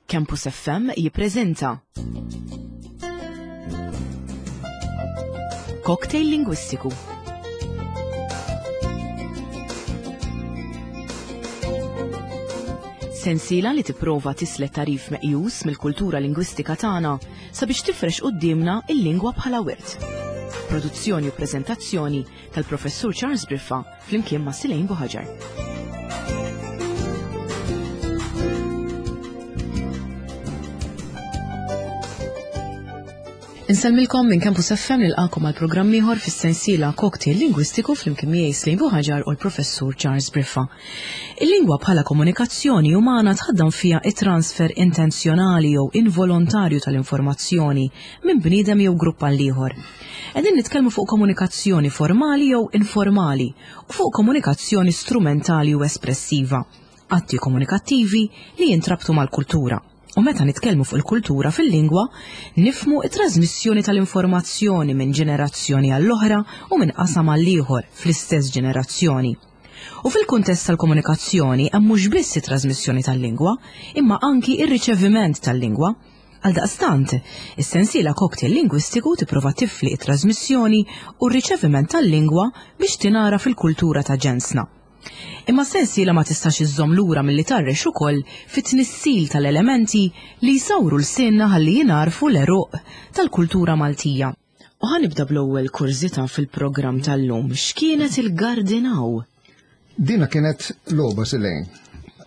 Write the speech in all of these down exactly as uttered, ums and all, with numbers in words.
Campus F M jippreżenta Cocktail Lingwistiku. Sensiela li tipprova tislet tarif meqjus mill-kultura lingwistika tagħna sabiex tifrex quddiemna il-lingwa bħala wirt. Produzzjoni u preżentazzjoni tal-Professur Charles Briffa flimkien ma' Silejn Buħaġar. Insellmilkom minn Campus F M nilqakom għal programm ieħor fis-sensiela Cocktail Lingwistiku flimkien miegħi Silejn Buħaġar u l-Professur Charles Briffa. Il-lingwa bħala komunikazzjoni umana tħaddam fiha it-transfer intenzjonali jew involontarju tal-informazzjoni minn bniedem jew grupp għal ieħor. Qegħdin nitkellmu fuq komunikazzjoni formali jew informali u fuq komunikazzjoni strumentali u espressiva, atti komunikattivi li jintrabtu mal-kultura. U meta nitkellmu fuq il-kultura fil-lingwa, nifmu it-trasmissjoni tal-informazzjoni minn ġenerazzjoni għall-oħra u minn qasam għall-ieħor fl-istess ġenerazzjoni. U fil-kuntest tal-komunikazzjoni hemm mhux biss it-trasmissjoni tal-lingwa, imma anki ir-riċeviment tal-lingwa. Għaldaqstant, is-sensiela Cocktail Lingwistiku tipprova tifli it-trasmissjoni u r-riċeviment tal-lingwa biex tingħara fil-kultura ta' ġensna. Imma sensiela ma tistax iżżomm lura milli tarrex ukoll fit-tnissil tal-elementi li jsawru l-sinna ħalli jingħarfu l-għeruq tal-kultura Maltija. U ħanibda bl-ewwel kurżità fil-programm tal-lum. X'kienet il-Gardinaw? Dina kienet logħba Silejn.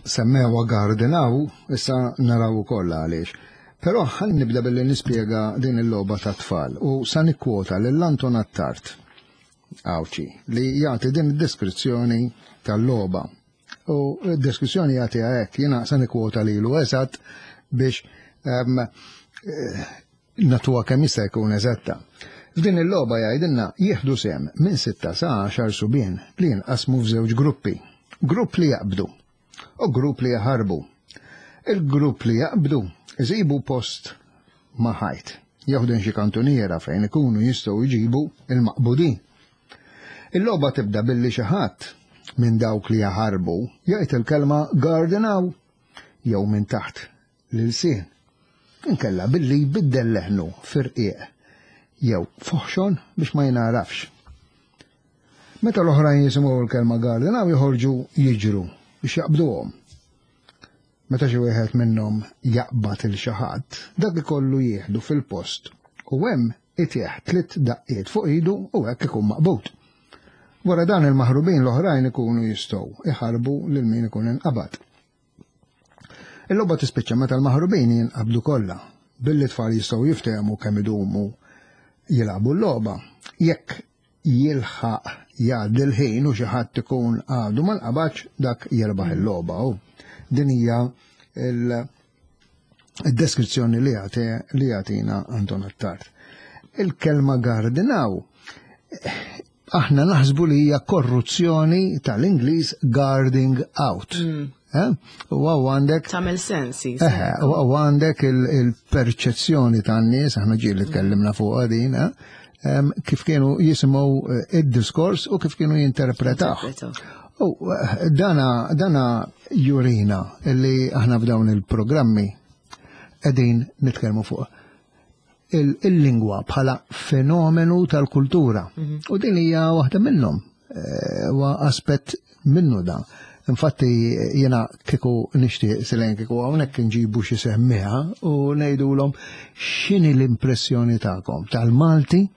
Semmewha Gardinaw, issa naraw ukoll għaliex. Però ħan nibda billi nispjega din il-logħba tat-tfal u sa nikkwota lil Anton Attard Għawċi li jagħti din id-deskrizzjoni tal-logħba. U d-deskrizzjoni jagħtiha hekk, jiena sa nikkwota lilu eżatt biex, ehm, eh, natuha kemm jista' jkun eżatta. F'din il-logħba jgħidilna jieħdu sehem minn sitta sa għaxar subien li jinqasmu f'żewġ gruppi. Grupp li jaqbdu u grupp li jaħarbu. Il-grupp li jaqbdu iżibu post ma' ħajt, jeħdu xi kantuniera fejn ikunu jistgħu jġibu il-maqbudin. Il-logħba tibda billi xi ħadd minn dawk li jaħarbu jgħid il-kelma Gardinaw jew minn taħt l-ilsien. Inkella billi jbiddel leħnu firqiq jew foħxon biex ma jingħarafx. Meta l-oħrajn jisimgħu l-kelma Gardinaw joħorġu jiġru biex jaqbduhom. Meta xi wieħed minnhom jaqbad il xi ħadd, dak ikollu jieħdu fil-post u hemm itieħ tliet daqqiet fuq idu u hekk ikun maqbud. Wara dan il-maħrubin l-oħrajn ikunu jistgħu iħarbu lil min ikun inqabad. Il-logħba tispiċċa meta l-maħrubin jinqabdu kollha, billi tfal jistgħu jiftehmu kemm idumu jilagħbu l-logħba. Jekk jilħaq jgħaddi l-ħin u xi ħadd ikun għadu ma nqabadx, dak jirbaħ il-logħba. U din hija il-deskrizzjoni li jagħti, li jagħtina Anton Attard. Il-kelma Gardinaw aħna naħsbu li hija korruzzjoni tal-Ingliż guarding out. Mm. Eh? U għaw għandek Tagħmel sens, sì, Eh, sì. u għaw għandek il-, il-perċezzjoni tan-nies, aħna ġieli tkellimna fuqha din, eh? Em, kif kienu jisimgħu, eh, id-diskors u kif kienu jinterpretaw. Interpretaw. U, eh, dana, dana jurina li aħna f'dawn il-programmi qegħdin nitkellmu fuq il-, il-lingwa bħala fenomenu tal-kultura. Mhm. U din hija waħda minnhom, eh, huwa aspett minnu da. Infatti jiena kieku nixtieq Silejn kieku hawnhekk nġibu xi semmiha u ngħidulhom x'inhi l-impressjoni tagħkom tal-Malti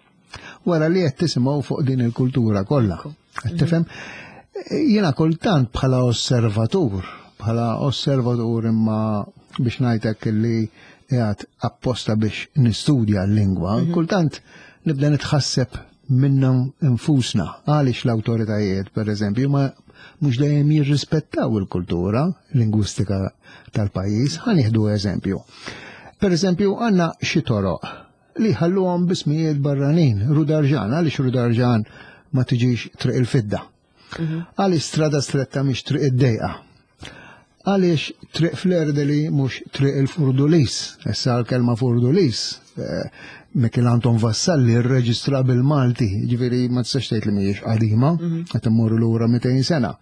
wara li qed tisimgħu fuq din il-kultura kollha. Ekku. Qed tifhem? Jiena kultant bħala osservatur, bħala osservatur imma biex ngħidlek li qiegħed apposta biex nistudja l-lingwa, Mhm. kultant nibda nitħasseb minna infusna għaliex l-awtoritajiet, per eżempju, ma mhux dejjem jirrispettaw il-kultura lingwistika tal-pajjiż. Ħa nieħdu eżempju. Per eżempju, għandna xi toroq li ħalluhom bismijiet barranin, Rudarġan, għaliex Rudarġan ma tiġix Triq il-Fidda? Mhm. Għaliex Strada Stretta mhix Triq id-Dejqa? Għaliex Triq Flerdeli mhux Triq il-Furdulis? Issa l-kelma Furdulis, eh, Michel Anton Vassalli rreġistra bil-Malti, ġifieri ma tistax tgħid li mhijiex qadima, Mhm. qed immorru lura mitejn sena.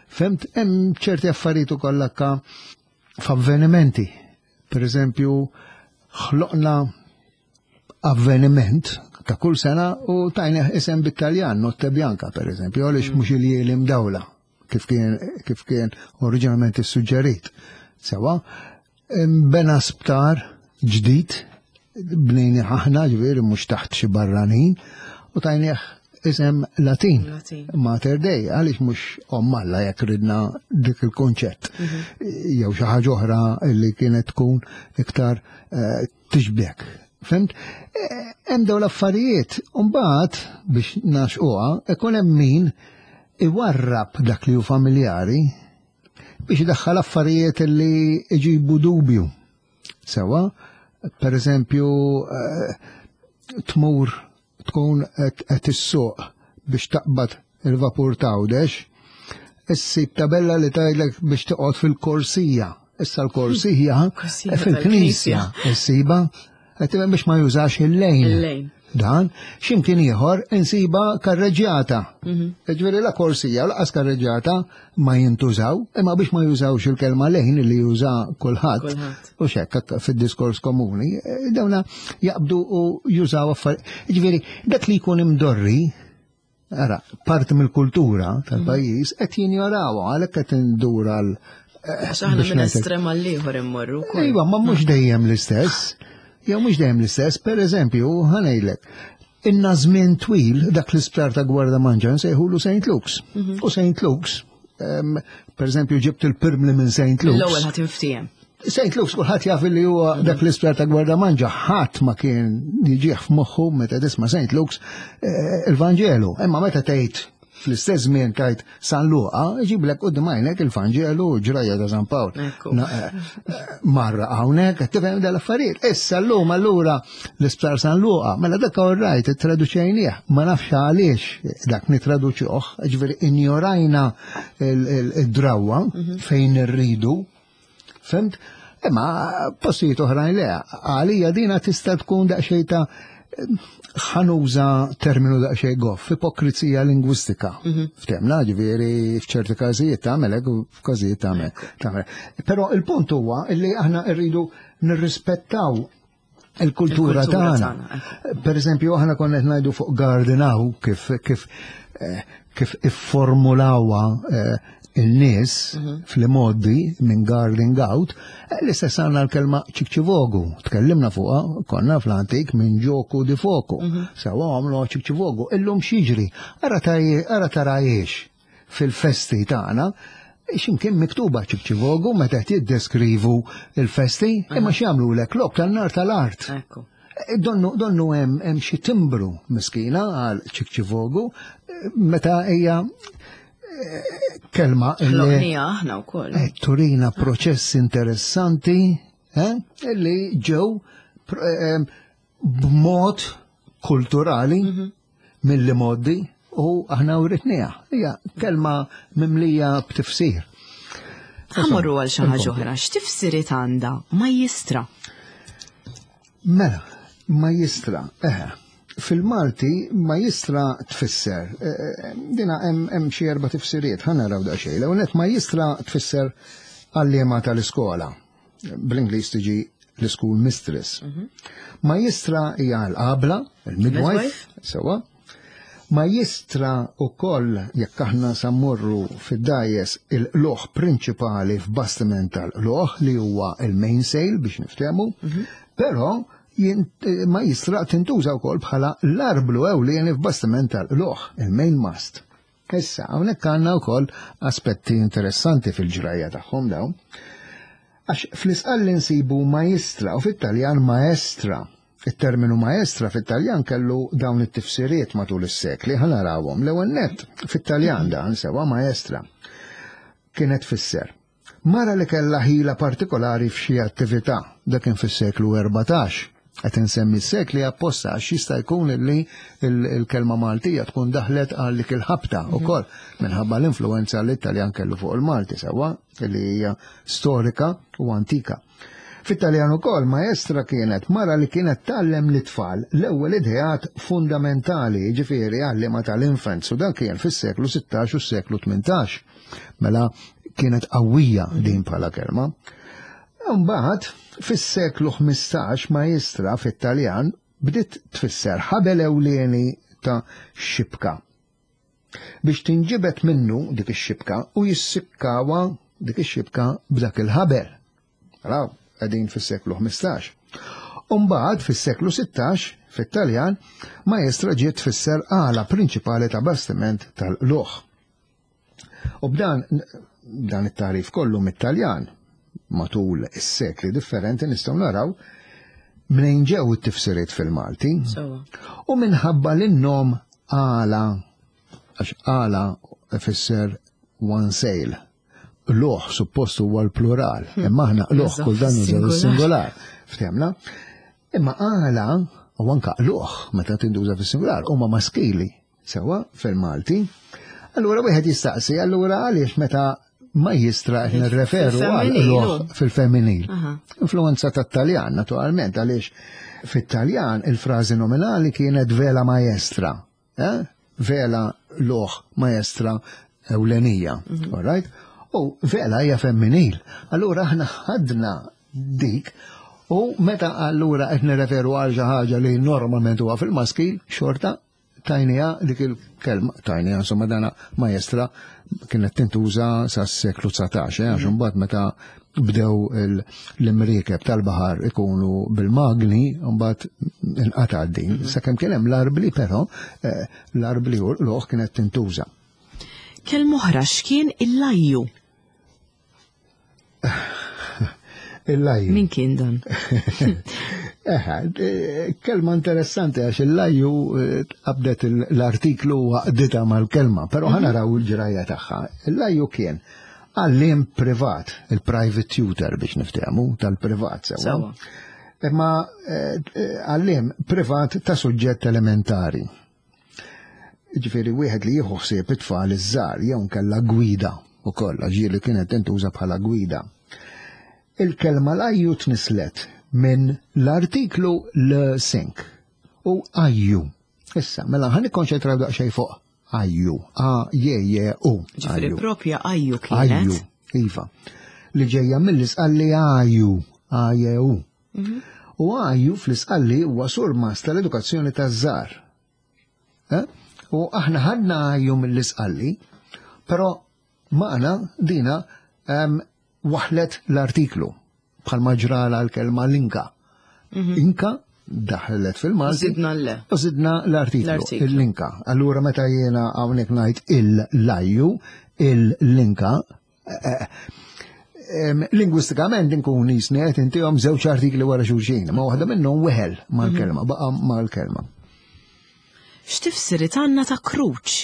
Femt, hemm ċerti affarijiet ukoll anke f'avvenimenti. Per eżempju, ħloqna avveniment ta' kull sena u tajna isem bit-Taljan, Notte Bianca, per eżempju, għaliex mhux il-ljieli mdawla, kif kien, kif kien oriġinalment issuġġerit. Sewa, bena sptar ġdid, bnejni aħna, ġifieri mhux taħt xi barranin, u tajnieh isem Latin. Latin. Mater Dei, għaliex mhux Omm Alla jekk ridna dik il-konċett. Jew xi ħaġa oħra li kienet tkun iktar eh, tixbek. Fhimt? Eh, Hemm dawn l-affarijiet, u mbagħad biex naxquha, ikun hemm min iwarrab dak li hu familjari biex idaħħal affarijiet li iġibu dubju. Sewa, per eżempju, eh, tmur tkun qed issuq biex taqbad il-vapur t'Għawdex, issib tabella li tgħidlek biex toqgħod fil-korsija. Issa l-korsija Korsija fil-knisja issiba qed tifhem biex ma jużax il-lane. Il-lane. Dan, x'imkien ieħor insiba karreġjata. Ġifieri la korsija u lanqas karreġjata ma jintużaw, imma biex ma jużawx il-kelma lane li juża kulħadd. Kulħadd. U xekk fid-diskors komuni, eh, dawna jaqbdu u jużaw affarijiet. Ġifieri, dak li jkun imdorri, ara, parti mill-kultura tal-pajjiż qed jinjorawha għalhekk qed indur għal eh, Għax aħna biex minn ngħidlek. estrem għal ieħor immorru wkoll. Iva, ma mhux dejjem l-istess. Jew mhux dejjem l-istess, per eżempju, ħa ngħidlek. Inna żmien twil dak l-isptar ta' Gwardamanġa nsejħulu Saint Luke's. U Saint Luke's, em, per eżempju, ġibt il-pirmli minn Saint Luke's. L-ewwel ħadd inftiehem. Saint Luke's kulħadd jaf li huwa dak l-isptar ta' Gwardamanġa, ħadd ma kien jiġih f'moħħu meta tisma' Saint Luke's eh, il-Vanġelu. Imma meta tgħid fl-istess żmien tgħid San Luqa, iġiblek quddiem għajnek il-Vanġelu u ġrajja ta' San Pawl. Ekku. Na, eh, eh, Marra hawnhekk qed tifhem dal-affarijiet. Issa llum allura l-isptar San Luqa, mela dak all right, ittraduċejnieh, ma nafx għaliex dak nitraduċuh, ġifieri injorajna il- il- id-drawwa fejn irridu. Fhimt? Imma postijiet oħrajn le, għalija dina tista' tkun daqsxejn ta' ħa nuża terminu daqsxejn goff, ipokrizija lingwistika. Ftemna, ġifieri f'ċerti każijiet tagħmel hekk u f'każijiet tagħmel. tagħmel. Però il-punt huwa li aħna rridu nirrispettaw il-kultura Il-kultura tagħna. tagħna, Per eżempju, aħna konna qed ngħidu fuq Gardenaw kif kif eh, kif ifformulawha eh, il-nies fl-modi minn guarding out, eh, l-istess għandna l-kelma ċikċivogu. Tkellimna fuqha, konna fl-antik minn gioco di fuoco. Sewa għamlu ċikċivogu. Illum x'jiġri, ara taj- ara tarajiex fil-festi tagħna, x'imkien miktuba ċikċivogu meta qed jiddeskrivu il-festi, imma x'jagħmlu lek logħob tan-nar tal-art. Ekku. Donnu, donnu hemm hemm xi timbru miskina għal ċikċivogu eh, meta hija eh, kelma illi Ħloqnija aħna wkoll. eh, turina proċess interessanti eh, illi ġew pr- eh, b'mod kulturali mill modi u aħna uritnija. Hija kelma mimlija b'tifsir. Ħa mmorru għal xi ħaġa oħra, x'tifsiriet għandha majjistra? Mela, majjistra, eħe, fil-Malti majjistra tfisser, eh, eh, dina hemm hemm xi erba' tifsiriet, ħa naraw daqsxejn. L-ewwel nett majjistra tfisser għalliema tal-iskola. Bl-Ingliż tiġi l-school mistress. Majjistra hija l-qabla, il-midwife, Midwife. sewa. Majjistra ukoll jekk aħna sa mmorru fid-dgħajjes il-qlugħ prinċipali f'bastiment tal-qlugħ li huwa il-mainsail biex niftehmu, però jint- majjistra tintuża wkoll bħala l-arblu ewlieni f'bastiment tal-qlugħ, il-main mast. Issa, hawnhekk għandna wkoll aspetti interessanti fil-ġrajja tagħhom dawn. Għax fl-Isqalli nsibu maestra u fit-Taljan maestra. Il-terminu maestra fit-Taljan kellu dawn it-tifsiriet matul is-sekli, ħa narawhom. L-ewwel nett fit-Taljan dan sewa maestra kienet tfisser. Mara li kellha ħila partikolari f'xi attività, dak kien fis-seklu erbatax. Qed insemmi s-sekli apposta għax jista' jkun li il-kelma Maltija tkun daħlet għal dik il-ħabta ukoll minħabba l-influenza li l-Italjan kellu fuq il-Malti sewwa li hija storika u antika. Fit-Taljan ukoll maestra kienet mara li kienet tgħallem lit-tfal l-ewwel ideat fundamentali, ġifieri għallima tal-infants, u dan kien fis-seklu sittax u s-seklu tmintax. Mela kienet qawwija din bħala kelma. Mbagħad fis-seklu ħmistax maestra fit-Taljan bdiet tfisser ħabel ewlieni ta' xibka. Biex tinġibet minnu dik ix-xibka u jissikkawa dik ix-xibka b'dak il-ħabel. Raw, qegħdin fis-seklu ħmistax. Umbagħad fis-seklu sittax fit-Taljan maestra ġiet tfisser għala prinċipali ta' bastiment tal-qluħ. U b'dan dan it-tarif kollu mit-Taljan matul is-sekli differenti nistgħu naraw mnejn ġew it-tifsiriet fil-Malti. U minħabba li n-nom għala, għax għala ifisser one sail. Loħ suppost huwa l-plural, imma aħna loħ kull dan nużaw is-singular. Ftehmna? Imma għala u anka loħ meta tinduża fis-singular huma maskili sewwa fil-Malti. Allura wieħed jistaqsi, allura għaliex meta majjistra qed nirreferu għal loħ fil-femminil. Influenza tat-Taljan naturalment, għaliex fit-Taljan il-frażi nominali kienet vela maestra. Eh? Vela loħ maestra ewlenija. All right? U vela hija femminil. Allura aħna ħadna dik u meta allura qed nirreferu għal xi ħaġa li normalment huwa fil-maskil, xorta tajnija dik il-kelma, tajnija insomma dana maestra kienet tintuża sas-seklu dsatax, eh, għax imbagħad meta bdew l-imriekeb tal-baħar ikunu bil-magni, mbagħad inqata' din. Sakemm kien hemm l-arbli però, eh, l-arbli u l-oħ kienet tintuża. Kelma oħra x'kien il-lajju? Il-lajju. Min kien dan? Eħe, kelma interessanti għax il-lajju qabdet l-artiklu waqdita mal-kelma, però ħa naraw il-ġrajja tagħha. Il-lajju kien għalliem privat, il-private tutor biex niftehmu, tal-privat sewwa. Imma għalliem privat ta' suġġett elementari. Ġifieri wieħed li jieħu ħsieb it-tfal iż-żgħar jew nkella gwida ukoll, għax ġieli kienet tintuża bħala gwida. Il-kelma lajju tnislet minn l-artiklu l-sink u ajju. Issa, mela ħan nikkonċentraw daqsxejn fuq ajju, A J J U. Ġifieri propja ajju kienet. Ajju, iva. Li ġejja mill-isqalli ajju, A J U. U ajju fl-isqalli huwa surmas tal-edukazzjoni taż-żgħar. U aħna ħadna ajju mill-isqalli, però maqna dina waħlet l-artiklu bħalma ġrala l-kelma l-inka. Inka daħlet fil-Malti. Zidna l. U zidna l-artiklu, il-linka. Allura meta jiena hawnhekk ngħid il-lajju, il-linka, lingwistikament inkun jisni qed intihom żewġ artikli wara xulxin, ma waħda minnhom weħel mal-kelma, baqa' mal-kelma. X'tifsiriet għandna ta' kruċ?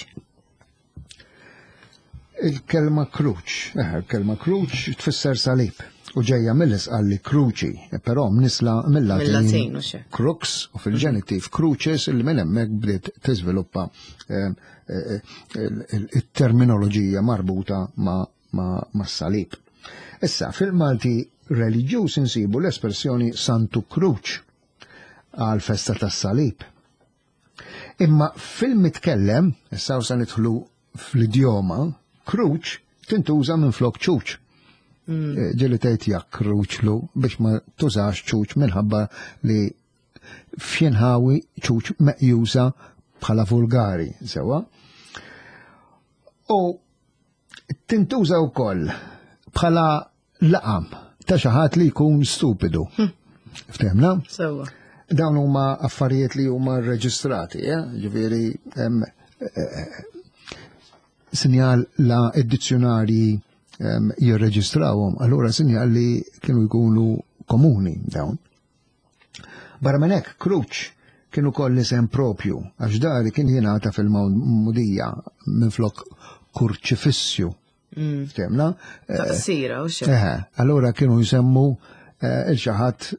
Il-kelma kruċ, eh, il-kelma kruċ tfisser salib u ġejja mill-isqalli kruċi, però mnisla mill-Latin crux u fil-ġenitiv crucis li minn hemmhekk bdiet tiżviluppa il-terminoloġija marbuta ma' salib. Issa, fil-Malti reliġjuż insibu l-espressjoni Santu Kruċ għal festa tas-salib. Imma fil-mitkellem, issa sa nidħlu fl-idjoma, kruċ tintuża minn flok ċuċ. Ġieli tgħid jak kruċlu biex ma tużax ċuċ minħabba li f'xinħawi ċuċ meqjusa bħala vulgari, sewwa. U tintuża wkoll bħala laqam ta' xi ħadd li jkun stupidu. Ftehmna? Sewwa. Dawn huma affarijiet li huma rreġistrati, eh? Ġifieri hemm sinjal la id-dizzjonarji jirreġistrawhom, allura sinjal li kienu jkunu komuni dawn. Barra minn hekk, kruċ kienu koll isem propju, għax dari kien jingħata fil-mudija minflok kurċifissju. Ftehmna? Taqsira u xejn. Eħe, allura kienu jsemmu il xi ħadd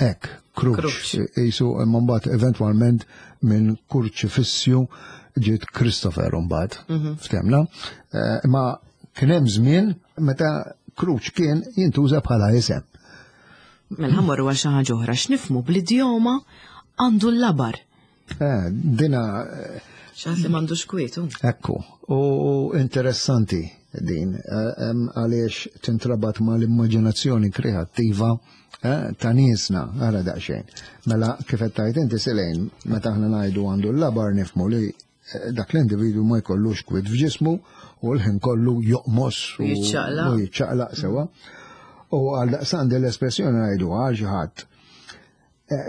hekk, kruċ. Jisu mbagħad eventwalment minn kurċifissju ġiet Christopher mbagħad. Ftehmna? Imma kien hemm żmien meta kruċ kien jintuża bħala isem. Mela ħammorru għal xi ħaġa oħra, x'nifhmu bl-idjoma għandu l-labar. Eh, dina Xi ħadd li m'għandux kwietu. Ekku, u interessanti. din, għaliex tintrabat ma l-immaġinazzjoni kreattiva ta' niesna, għara daqsxejn. Mela kif qed tgħid inti Selejn, meta aħna ngħidu għandu l-labar nifhmu li dak l-individu ma jkollux kwid f'ġismu u l-ħin kollu joqmos u jiċċaqlaq sewa. U għal daqstant l-espressjoni ngħidu għal xi ħadd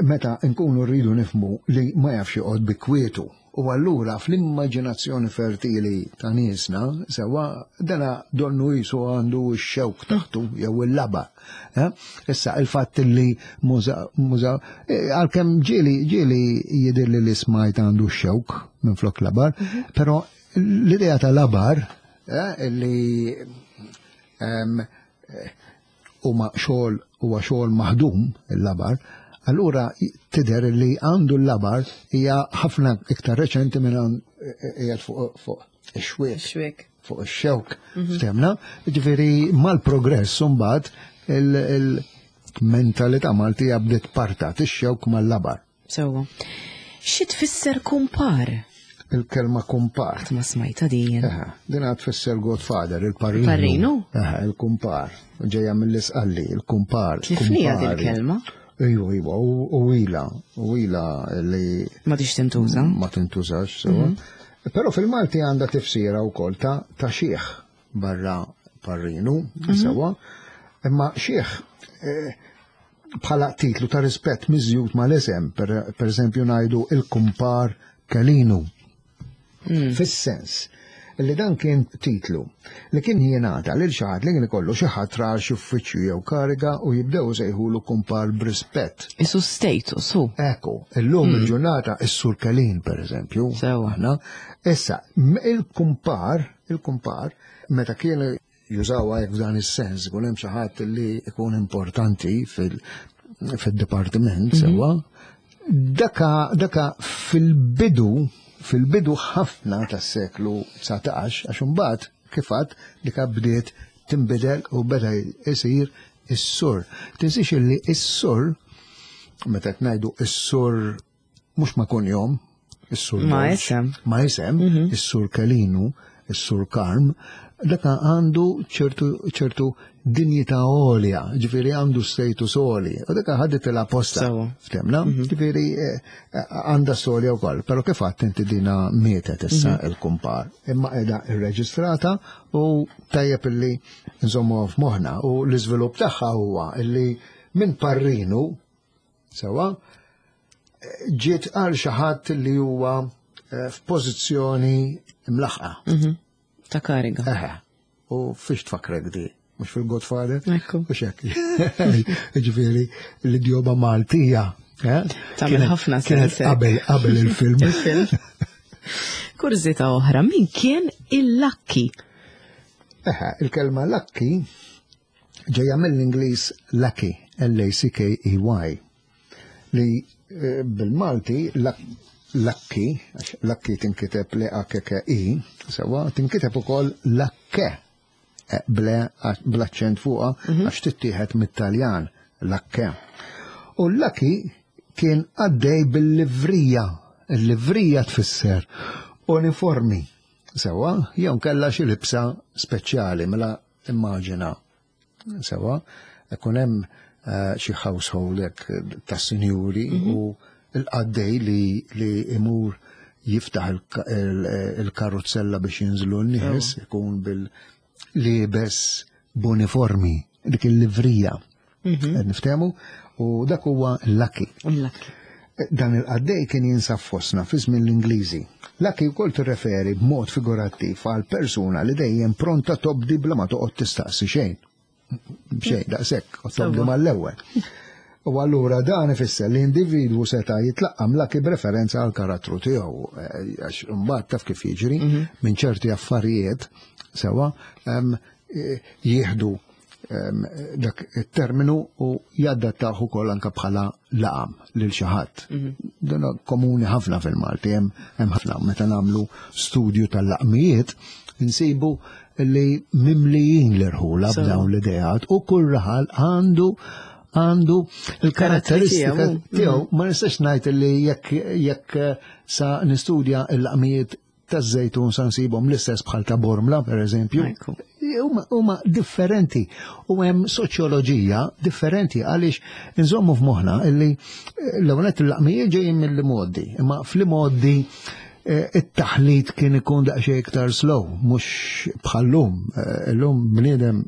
meta nkunu rridu nifhmu li ma jafx joqgħod bi kwietu. U allura fl-immaġinazzjoni fertili ta' niesna, sewa dana donnu jisu għandu x-xewk taħtu jew il-laba. Issa il-fatt li muża, muża, għalkemm ġieli ġieli jidhirli li smajt għandu x-xewk minn flok labar, però l-idea ta' labar li huma xogħol huwa xogħol maħdum il-labar, allura tidher li għandu l-labar hija ħafna iktar reċenti minn qiegħed fuq ix-xwiek. Fuq ix-xewk. Ftemna? Ġifieri mal-progress imbagħad il-mentalità Maltija bdiet partat ix-xewk mal-labar. Sewwa. Xi tfisser kumpar? Il-kelma kumpar. Qatt ma smajta din. Din għad tfisser Godfather, il-parrinu. Parrinu? Il-kumpar. Ġejja mill-Isqalli, il-kumpar. Tlifnija din il-kelma? Iva, iva, u ila, u ila li... Ma tix tintuża? Ma tintużax, sewa. Però fil-Malti għandha tifsira wkoll ta' ta' xieħ barra parrinu, sewa. Imma xieħ bħala titlu ta' rispett miżjud mal-isem, per eżempju ngħidu il-kumpar Kelinu. Fis-sens li dan kien titlu li kien jingħata lil xi ħadd li kien ikollu xi ħadd ra xi uffiċċju jew kariga u jibdew sejħulu kumpar b'rispett. Isu status hu. Ekku, illum il-ġurnata is-Sur Kelin pereżempju. Sewa. Issa, il-kumpar, il-kumpar, meta kien jużawha hekk f'dan is-sens, ikun hemm xi ħadd li ikun importanti fil-dipartiment, sewa, daka daka fil-bidu fil-bidu ħafna tas-seklu dsatax, għax imbagħad kif għad dik bdiet tinbidel u beda jsir is-sur. Tinsiex illi is-sur, meta qed ngħidu is-sur mhux ma' kunjom, is-sur ma isem. Ma isem, is-sur Kelinu, is-sur Karm, dak għandu ċertu ċertu dinjità għolja, ġifieri għandu status għoli, u dak ħadet l-apposta. Ftemna, ġifieri għandha storja wkoll, però kif għadt inti dina mietet issa il-kumpar. Imma qiegħda irreġistrata u tajjeb illi nżommu f'moħħna u l-iżvilupp tagħha huwa illi minn parrinu sewa ġiet għal xi ħadd li huwa f'pożizzjoni mlaħqa. Ta' kariga. Eħe. U fiex tfakrek di? Mux fil-Godfather? Ekku. U xek. Ġifieri, l-idjoma Maltija. Tagħmel ħafna sens. Qabel, qabel il-film. Il-film. Kurżità oħra, min kien il-lakki? Eħe, il-kelma lakki ġejja mill-Ingliż lucky, L A C K E Y, li bil-Malti lakki, għax lakki tinkiteb L A K K I, sewa, tinkiteb ukoll lakke, bl-aċċent fuqha, għax tittieħed mit-Taljan, lakke. U l-lakki kien għaddej bil-livrija, il-livrija tfisser uniformi, sewa, jew kellha xi libsa speċjali, mela immaġina, sewa, ikun hemm xi household hekk ta' sinjuri u l-qaddej li li imur jiftaħ il-karuzzella biex jinżlu n-nies, ikun bil-libes b'uniformi, dik il-livrija. Niftehmu? U dak huwa l-lakki. Dan il-qaddej kien jinsab fostna fi żmien l-Ingliżi. Lakki wkoll tirreferi b'mod figurattiv għal persuna li dejjem pronta tobdi bla ma toqgħod tistaqsi xejn. Xejn daqshekk, u tobdi mal-ewwel. U allura dan ifisser li individwu seta' jitlaqqam lakki b'referenza għal karattru tiegħu, għax imbagħad taf kif jiġri minn ċerti affarijiet sewa jieħdu dak it-terminu u jadattaw ukoll anke bħala laqam lil xi ħadd. Dan komuni ħafna fil-Malti, hemm ħafna meta nagħmlu studju tal-laqmijiet insibu li mimlijin l-irħula b'dawn l-ideat u kull raħal għandu għandu il-karatteristika tiegħu. Ma nistax ngħid li jekk jekk sa nistudja l-laqmijiet Taż-Żejtun sa nsibhom l-istess bħal ta' Bormla, per eżempju. Ekku. Huma huma differenti u hemm soċjoloġija differenti għaliex inżommu f'moħħna illi eh, l-ewwel il-laqmijiet ġejjin mill-modi, imma fl-modi eh, it-taħlit kien ikun daqsxejn iktar slow, mhux bħal-lum. Eh, Illum bniedem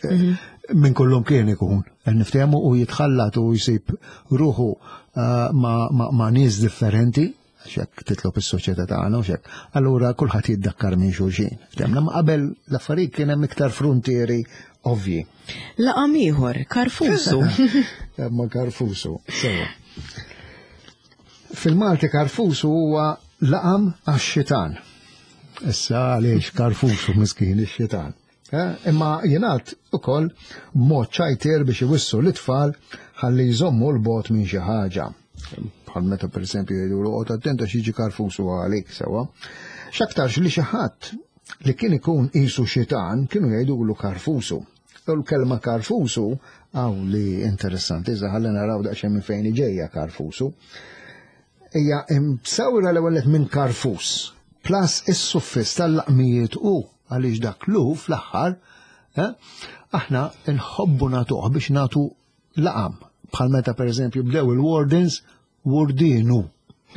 eh, minn kullum kien ikun. Niftehmu u jitħallat u jsib ruħu eh, ma, ma, ma nies differenti, għax titlob is-soċjetà tagħna u xek. Allura kulħadd jiddakkar minn xulxin. Ftehmna ma qabel l-affarijiet kien hemm iktar frontieri ovvji. Laqam ieħor, karfusu. Ma karfusu, sewa. Fil-Malti karfusu huwa laqam għax-xitan. Issa għaliex karfusu miskin ix-xitan. Eh, Imma jingħad ukoll mod ċajtier biex iwissu l-itfal ħalli jżommu l-bogħod minn xi ħaġa. Bħal meta per esempio jgħidu oqgħod attent għax jiġi karfusu għalik sewa. X'aktarx li xi ħadd li kien ikun qisu xitan kienu jgħidulu karfusu. U l-kelma karfusu għaw li interessanti, iżda ħalli naraw daqsxejn minn fejn ġejja karfusu. Hija imsawra l-ewwel minn karfus, plus is-suffiss tal-laqmijiet u għaliex dak lu fl-aħħar, eh, aħna nħobbu nagħtuh biex nagħtu laqam. Bħal meta per eżempju bdew il-wardens, wardinu.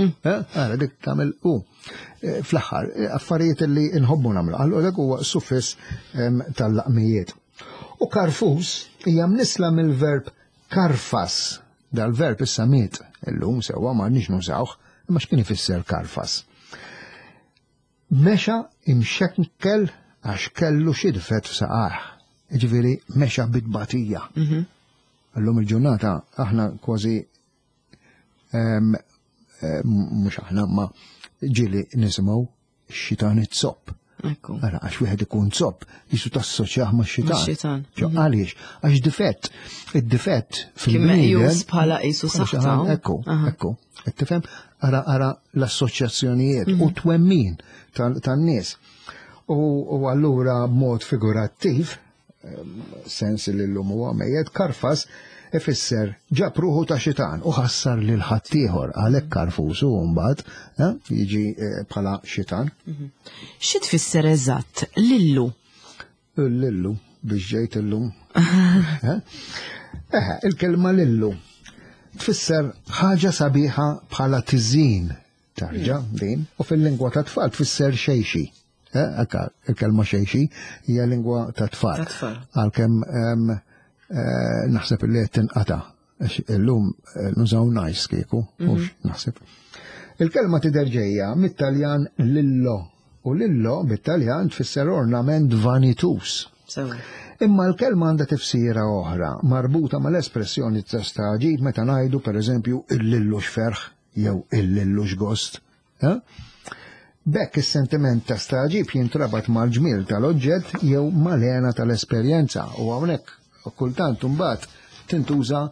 Eh, Ara, dik tagħmel u. Eh, Fl-aħħar, eh, affarijiet li nħobbu nagħmlu. Allura dak huwa suffiss em, tal-laqmijiet. U karfus hija mnisla mill-verb karfas. Dal-verb issa miet illum sewwa ma nix nużawh, imma x'kien ifisser karfas? Mexa imxekkel għax kellu xi difett f'saqajh. Ġifieri mexa bit-tbatija. Illum il-ġurnata aħna kważi em, em, mhux aħna ma ġieli nisimgħu xitan it-zopp. Ekku. Ara, għax wieħed ikun zopp, jisu tassoċjah ma' xitan. Max-xitan. Ġo, għaliex? Għax difett, id-difett Kien fil-bniedem. meqjus bħala qisu saħta. Ekku, Aha. ekku. Qed tifhem? Ara, ara l-assoċjazzjonijiet u twemmin tal- tan-nies. U u allura b'mod figurattiv, em, sens li l-lum huwa mejjet, karfas ifisser ġab ruħu ta' xitan u ħassar lil ħaddieħor għalhekk karfus u mbagħad eh, jiġi eh, bħala xitan. Xi tfisser eżatt lillu? Lillu, biex ġejt illum. Eh? Eh, il-kelma lillu tfisser ħaġa sabiħa bħala tiżin tarġa din u fil-lingwa ta' tfal tfisser xejxi. Eh, Akka, il-kelma xejxi hija lingwa ta' tfal. Ta' tfal. Għalkemm em, eh, naħseb li qed tinqata' għax illum eh, nużaw nice kieku, mhux naħseb. Il-kelma tidher ġejja mit-Taljan lillo u lillo bit-Taljan tfisser ornament vanitus. Sewa. Imma l-kelma għandha tifsira oħra, marbuta mal-espressjoni ta' stagħġib meta ngħidu pereżempju il-lillu x'ferħ jew il-lillu x'gost. Eh? B'hekk is-sentiment ta' stagħġib jintrabat mal-ġmiel tal-oġġett jew mal-hena tal-esperjenza u hawnhekk kultant imbagħad tintuża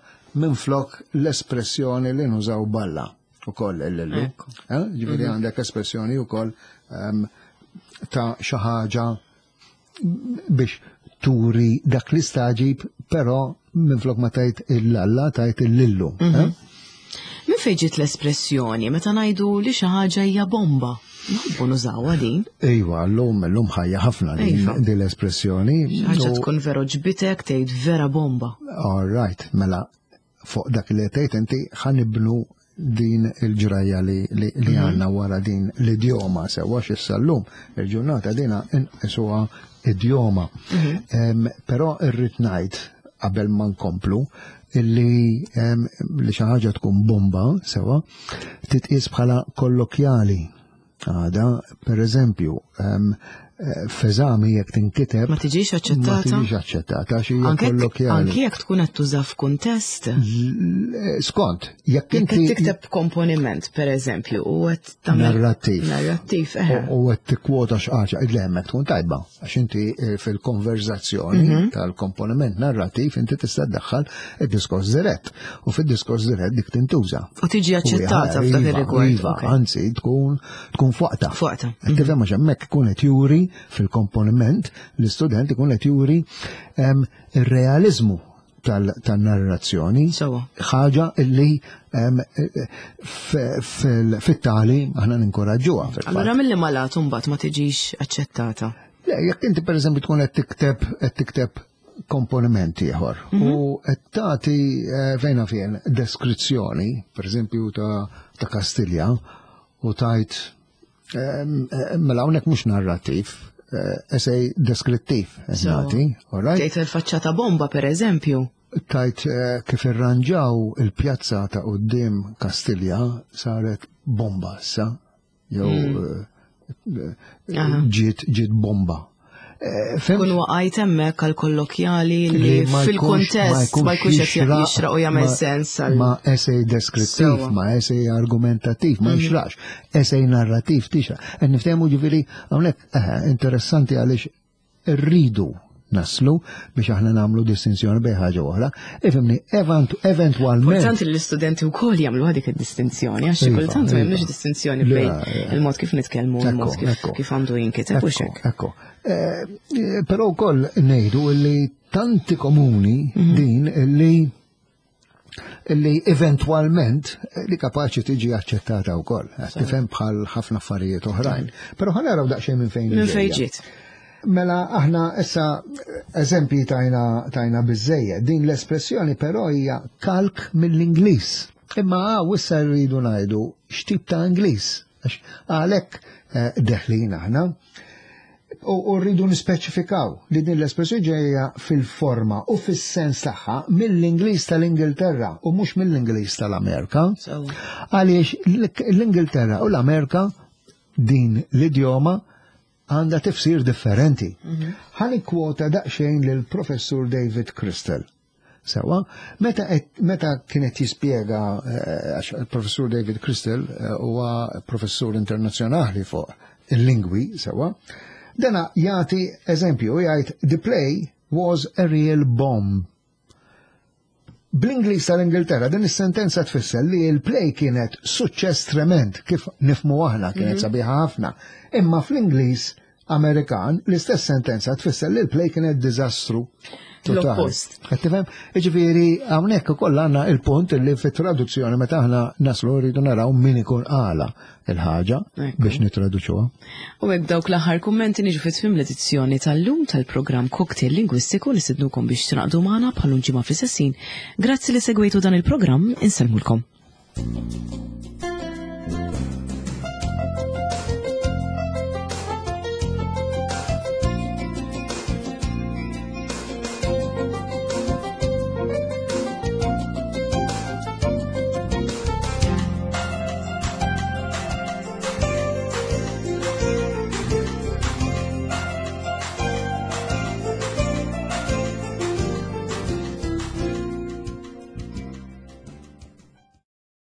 minflok l-espressjoni li nużaw balla ukoll il-lillu. Ekku. Eh? Ġifieri għandek espressjoni wkoll ehm, ta' xi ħaġa biex turi dak l-istagħġib, però minflok ma tajt il-lalla, tajt il-lillu. eh? Min fejn ġiet l-espressjoni meta ngħidu li xi ħaġa hija bomba? Nħobbu nużawha din. Iva, l-lum, l-lum ħajja ħafna din Iva. din l-espressjoni. Xi ħaġa U- tkun vera ġbitek tgħid vera bomba. All right, mela fuq dak li tgħid inti ħa nibnu din il-ġrajja li, li, li għandna wara din l-idjoma sewa x'issa llum il-ġurnata dina inqisuha idjoma. Em, Però irrid ngħid qabel ma nkomplu illi em, li xi ħaġa tkun bomba sewa titqies bħala kollokjali. Għada, per eżempju, em, eh, f'eżami jekk tinkiteb Ma tiġix ma aċċettata? tiġix aċċettata għax hija Anke jekk- kollokjali. anke jekk tkun qed tuża f'kuntest. L- Skont, jekk Jekk inti qed tikteb komponiment, per eżempju, u qed tagħmel narrattiv. Narrattiv, eħe. U u qed tikkwota x'ħaġa, le hemmhekk tkun tajba, għax inti eh, fil-konverzazzjoni Mhm. tal-komponiment narrattiv inti tista' ddaħħal id-diskors dirett. U fid-diskors dirett dik tintuża. U tiġi aċċettata U f'dak iva, ir-rigward. Iva, ok. anzi tkun tkun fuqta. Fuqta. Qed Tifhem għax hemmhekk ikun qed juri fil-komponiment l-istudent ikun qed juri em, ir-realizmu Tal-narrazzjoni. Ħaġa illi fit-tagħlim aħna ninkoraġġuha. Allura milli malat mbagħad ma tiġix aċċettata? Le, jekk inti pereżempju tkun qed tikteb qed tikteb komponiment ieħor mhm. u qed tagħti eh, fejna fejn deskrizzjoni, pereżempju ta' Kastilja, u tajt mela hawnhekk mhux narrattiv, eh, essay deskrittiv nagħti, all right? Tgħid il-faċċata bomba pereżempju. Tajt eh, kif irranġaw il-pjazza ta' quddiem Kastilja saret bomba issa, jew hmm. eh, ġiet ġiet bomba. Kun waqajt hemmhekk għal kollokjali li fil-kuntest ma jkunx qed jixraq u jagħmel sens għal. Ma essay deskrittiv, ma essay argumentattiv, ma mhm. jixrax. Essay narrativ tixraq. Qed niftehmu, ġifieri hawnhekk interessanti għaliex irridu naslu biex aħna nagħmlu distinzjoni bejn ħaġa oħra. Ifhimni, eventwalment. Importanti li l-istudenti wkoll jagħmlu dik id-distinzjoni, għax xi iva, kultant ma iva. jagħmlux distinzjoni bejn il-mod kif nitkellmu u l-mod kif għandu jinkiteb u xek. Ekku. Eh, eh, però wkoll ngħidu li tanti komuni mhm. din li li eventwalment li kapaċi tiġi aċċettata wkoll. Tifhem, bħal ħafna affarijiet oħrajn. Però ħa naraw daqsxejn minn fejn. Minn fejn ġiet. Mela aħna issa eżempji tajna tajna biżejjed. Din l-espressjoni però hija kalk mill-Ingliż. Imma għaw issa rridu ngħidu x'tip ta' Ingliż. Għalhekk eh, deħlin aħna. U rridu nispeċifikaw li din l-espressjoni ġejja fil-forma u fis-sens tagħha mill-Ingliż tal-Ingilterra u mhux mill-Ingliż tal-Amerika. Għaliex l-Ingilterra u l-Amerika din l-idjoma għandha tifsir differenti. Mhm. Ħa nikkwota daqsxejn lill-professur David Crystal. Sewa, meta, meta kienet jispjega, eh, għax il-professur David Crystal eh, huwa professur internazzjonali fuq il-lingwi, sewa, dana jagħti eżempju, jgħid: "The play was a real bomb." Bl-Ingliż tal-Ingilterra din is-sentenza tfisser li l-play kienet suċċess trement, kif nifhmu aħna kienet mm -hmm. sabiħa ħafna. Imma fl-Ingliż Amerikan l-istess sentenza tfisser li l-play kienet diżastru. L-oppost. Qed tifhem? Jiġifieri hawnhekk ukoll għandna il-punt li fit-traduzzjoni meta aħna naslu rridu naraw min ikun qala il-ħaġa biex nitraduċuha. U hekk dawk l-aħħar kummenti niġu fi tmiem l-edizzjoni tal-lum tal-programm Cocktail Lingwistiku. Nistednukom biex tingħaqdu magħna bħal ġimgħa fl-istess ħin. Grazzi li segwejtu dan il-programm, insellmulkom.